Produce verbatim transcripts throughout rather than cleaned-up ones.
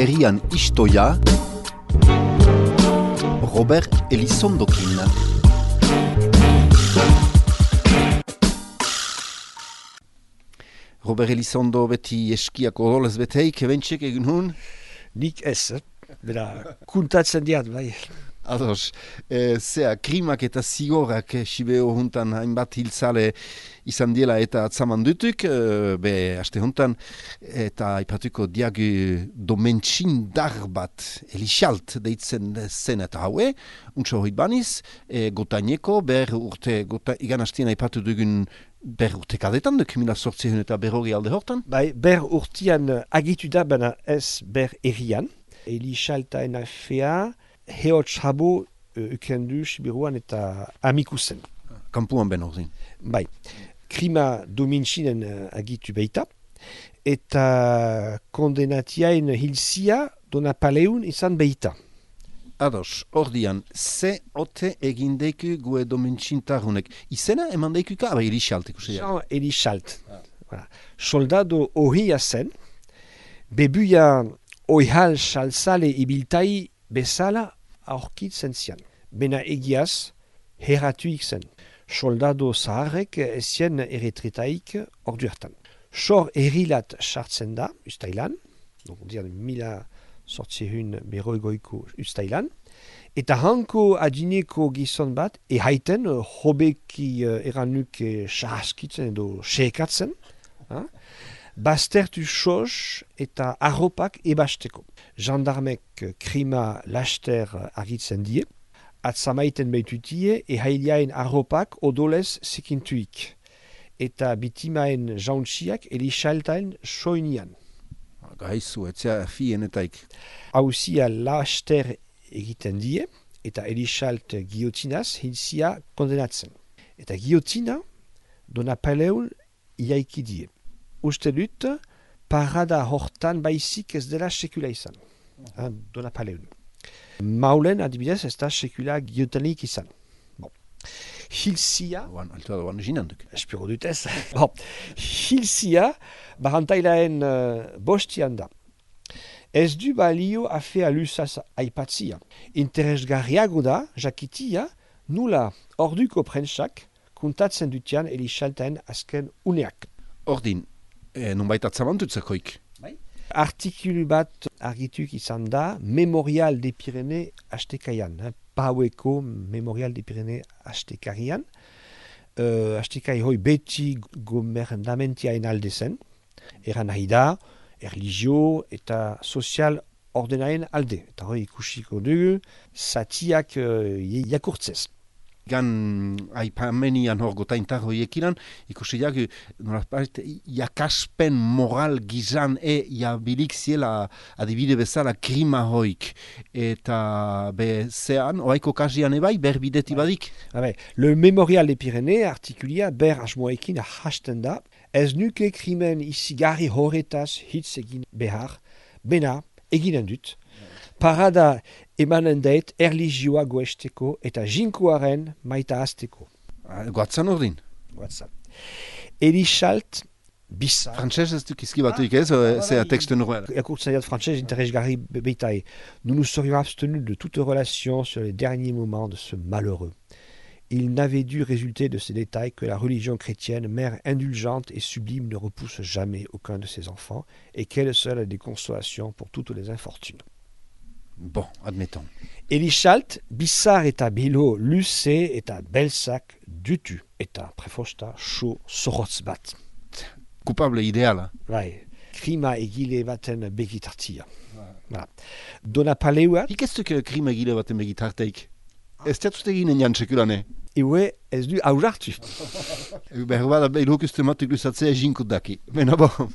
herrian istoia Robert Elizondokin. Robert Elizondo beti eskiako odolez beteik, bentxek egin hun? Nik ez, eh? Bera, kuntatzen diat, bai. Ados, e, zea, krimak eta zigorak e, Sibeo juntan hainbat hiltzale izan diela eta atzaman dutuk, e, be, aste juntan, eta aipatuko diagu domentxindar bat, elixalt deitzen zen eta haue, untso hoit baniz, e, gotaineko, ber urte, gota, igan hastien aipatu dugun ber urte kadetan, duk mila sortzehun eta berrogi alde hortan? Bai, ber urtean agitu da, baina ez ber errian, elixaltaen afea, Heotz habo ukendu Sibiruan eta amikusen. Kampuan ben ordin. Bai, krima domintxinen uh, agitu beita, eta kondenatiaen hilzia dona paleun izan beita. Ados, ordian, ze ote egindeiku gue domintxintarunek. Izena eman deikuka, aba elixalt ikusi. Jean elixalt. Ah. Voilà. Soldado ohia zen, bebuia oihal salsale ibiltai bezala aurkitzen zian. Bena egiaz, heratuik zen. Soldado zaharrek ezien erretretaik orduertan. Sor errilat sartzen da, ustailan, dian mila sortzehun beroigoiko ustailan, eta hanko adineko gizon bat, ehaiten, hobeki eranuk sahaskitzen edo seekatzen, ha? Baztertu sos eta arropak ebasteko. Gendarmek krima laster argitzen die, atzamaiten behitutie ehaileaen arropak odolez sekintuik, eta bitimaen jauntziak elixaltaen soinian. Gaizu, etzea fienetaik. Hauzia laster egiten die, eta elixalt giotinaz hilzia kondenatzen. Eta giotina dona paleul iaiki die. Uste dut, parada hortan baizik ez dela sekula izan. Uh-huh. Dona paleun. Maulen adibidez ez da sekula giotenik izan. Bon. Hilzia... Oan, altua doan ginanduk. Espero dut ez. Bon. Hilzia, barantailaen uh, bostian da. Ez du balio afea lusaz aipatzia. Interesgarriago da, jakitia, nula orduko prentsak kuntatzen dutian elixaltaen azken uneak. Ordin, E, non baita atzamantutzakoik. Bai. Artikulu bat argituk izan da Memorial de Pirene astekaian. Eh? Paueko Memorial de Pirene astekarian. Uh, astekai hoi beti gomernamentiaen alde zen. Eran nahi da, erligio eta sozial ordenaen alde. Eta hoi ikusiko dugu, zatiak uh, jakurtzez. Gan aipamenian hor gotaintar hoiekinan, ikusi jagu, jakaspen moral gizan e jabilik ziela adibide bezala krima hoik. Eta be zean, oaiko kasian ebai, ber bideti badik? Habe, le Memorial de Pyrénées artikulia ber asmoekin hasten da, ez nuke krimen izigarri horretaz hitz egin behar, bena eginen dut. Parada emanen dait erligioa goesteko eta jinkoaren maita azteko. Goatzan ordin? Goatzan. Elixalt, bizar... Frantxez ez duk izki batuik ez, zea texte normal. Ekurtzen diat frantxez interesgarri beitae. Nous nous serions abstenus de toute relation sur les derniers moments de ce malheureux. Il n'avait dû résulter de ces détails que la religion chrétienne, mère indulgente et sublime, ne repousse jamais aucun de ses enfants et qu'elle seule a des consolations pour toutes les infortunes. Bon, admettons. Elixalt, bizar eta bilo luze eta belzak dutu eta prefosta so zorotz bat. Coupable ideala. Bai, krima egile baten begitartia. Voilà. Dona paleuat... Hik ez duk krima egile baten begitarteik? Ez teatuzte ginen jan sekulane? Ewe ez du aurartu. Behar bada behiluk uste matuk luzatzea jinkut daki. Bena bon.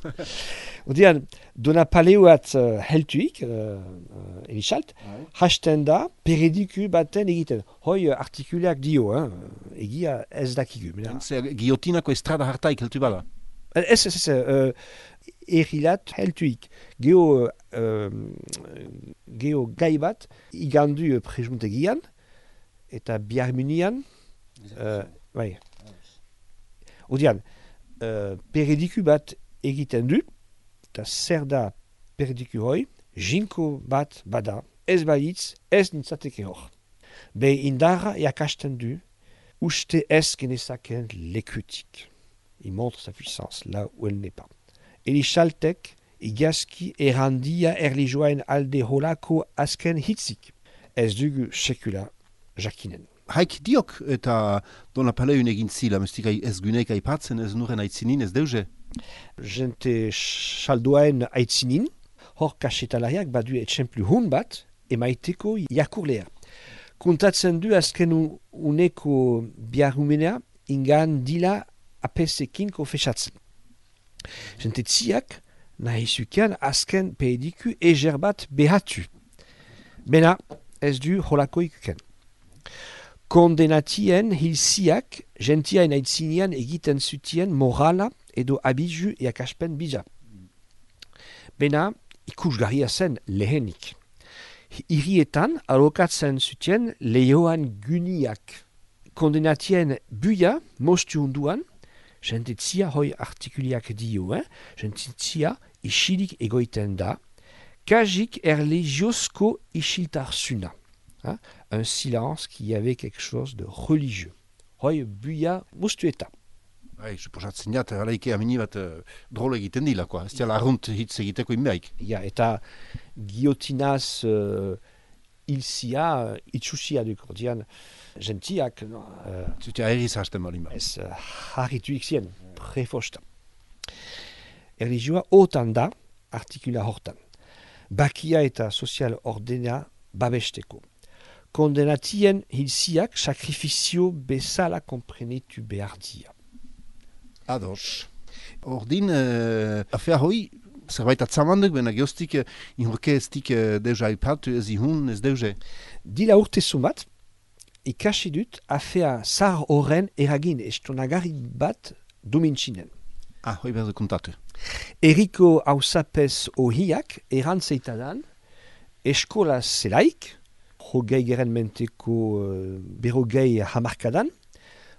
Odean, dona paleuat uh, heltuik, uh, uh, elixalt, hasten da perediku baten egiten. Hoi uh, artikuleak dio, hein? Egia ez dakigu. Giotinako estrada hartaik heltu bada? Ez, ez, ez, uh, errilat heltuik. Geo, uh, geo gai bat, igandu uh, prejuntegian, eta biharmunian, uh, bai. Odean, uh, perediku bat egiten du, eta zer da perediku hoi, jinko bat bada, ez balitz, ez nintzateke hor. Be indarra iakasten du, uste ez genezaken lekutik. Il montre sa puissance là où elle n'est pas. Elixaltek igazki errandia erlijioaen alde holako azken hitzik. Ez dugu sekula jakinen. Haik diok eta dona paleun egin zila, mestik ez guneik aipatzen, ez nuren aitzinin, ez deuze? Jente salduaen aitzinin, hor kasetalariak badu etxemplu hun bat, emaiteko jakurlea. Kontatzen du azken uneko biarrumenea, ingan dila apesekin konfesatzen. Jente tziak, nahi zukean azken pediku eger bat behatu. Bena, ez du holako ikuken. Kondenatien hilziak, gentiaen aitzinean egiten zutien morala edo abizu eakaspen bija. Bena, ikusgarria zen lehenik. Hirietan alokatzen zutien lehioan guniak. Kondenatien buia mostu hunduan, jentetzia hoi artikuliak dio, eh? Jentetzia isilik egoiten da, kajik erligiozko isiltarsuna. Hein? Un silence qui avait quelque chose de religieux. Hoi buia mostueta. Bai, suposatzen jat, alaike amini bat uh, drole egiten dila, ez dira arrunt hitz egiteko inbeaik. Ja, eta giotinaz uh, ilzia, uh, itxusia duko, dian, gentiak, no, uh, Zutea erriz hasten balin ba. ez uh, harritu ikzien, prefosta. Erlijioa otan da, artikula hortan. Bakia eta sozial ordena babesteko. Kondenatien hilziak sakrifizio bezala komprenetu behar dia. Ados. Ordin, uh, afea hoi, zerbait atzamanduk, bena geostik, uh, inhorke ez dik uh, deuza ipatu, ez ihun, ez deuze. Dila urte zumat, ikasi dut afea zar horren eragin estonagari bat domintxinen. Ah, hoi behar kontatu. Eriko hausapez ohiak erantzeitadan eskola zelaik, hogei geren menteko uh, berogei hamarkadan,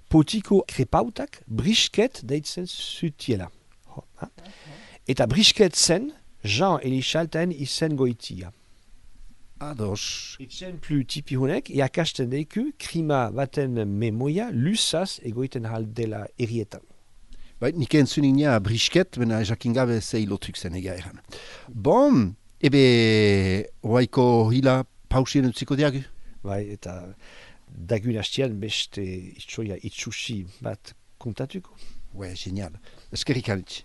potiko krepautak brisket deitzen zutiela. Ho, ha? Eta brisket zen Jean Elixaltaen izen goitia. Ados. Exemplu tipi honek, iakasten deiku krima baten memoia lusaz egoiten haldela erietan. Bai, nik entzunik nia brisket, bena jakin gabe zei lotuk zen ega eran. Bon, ebe, oaiko hila pausien utziko diagu? Bai, eta dagun hastian beste itxoia itxusi bat kontatuko. Ouais, génial. Eskerrik alti.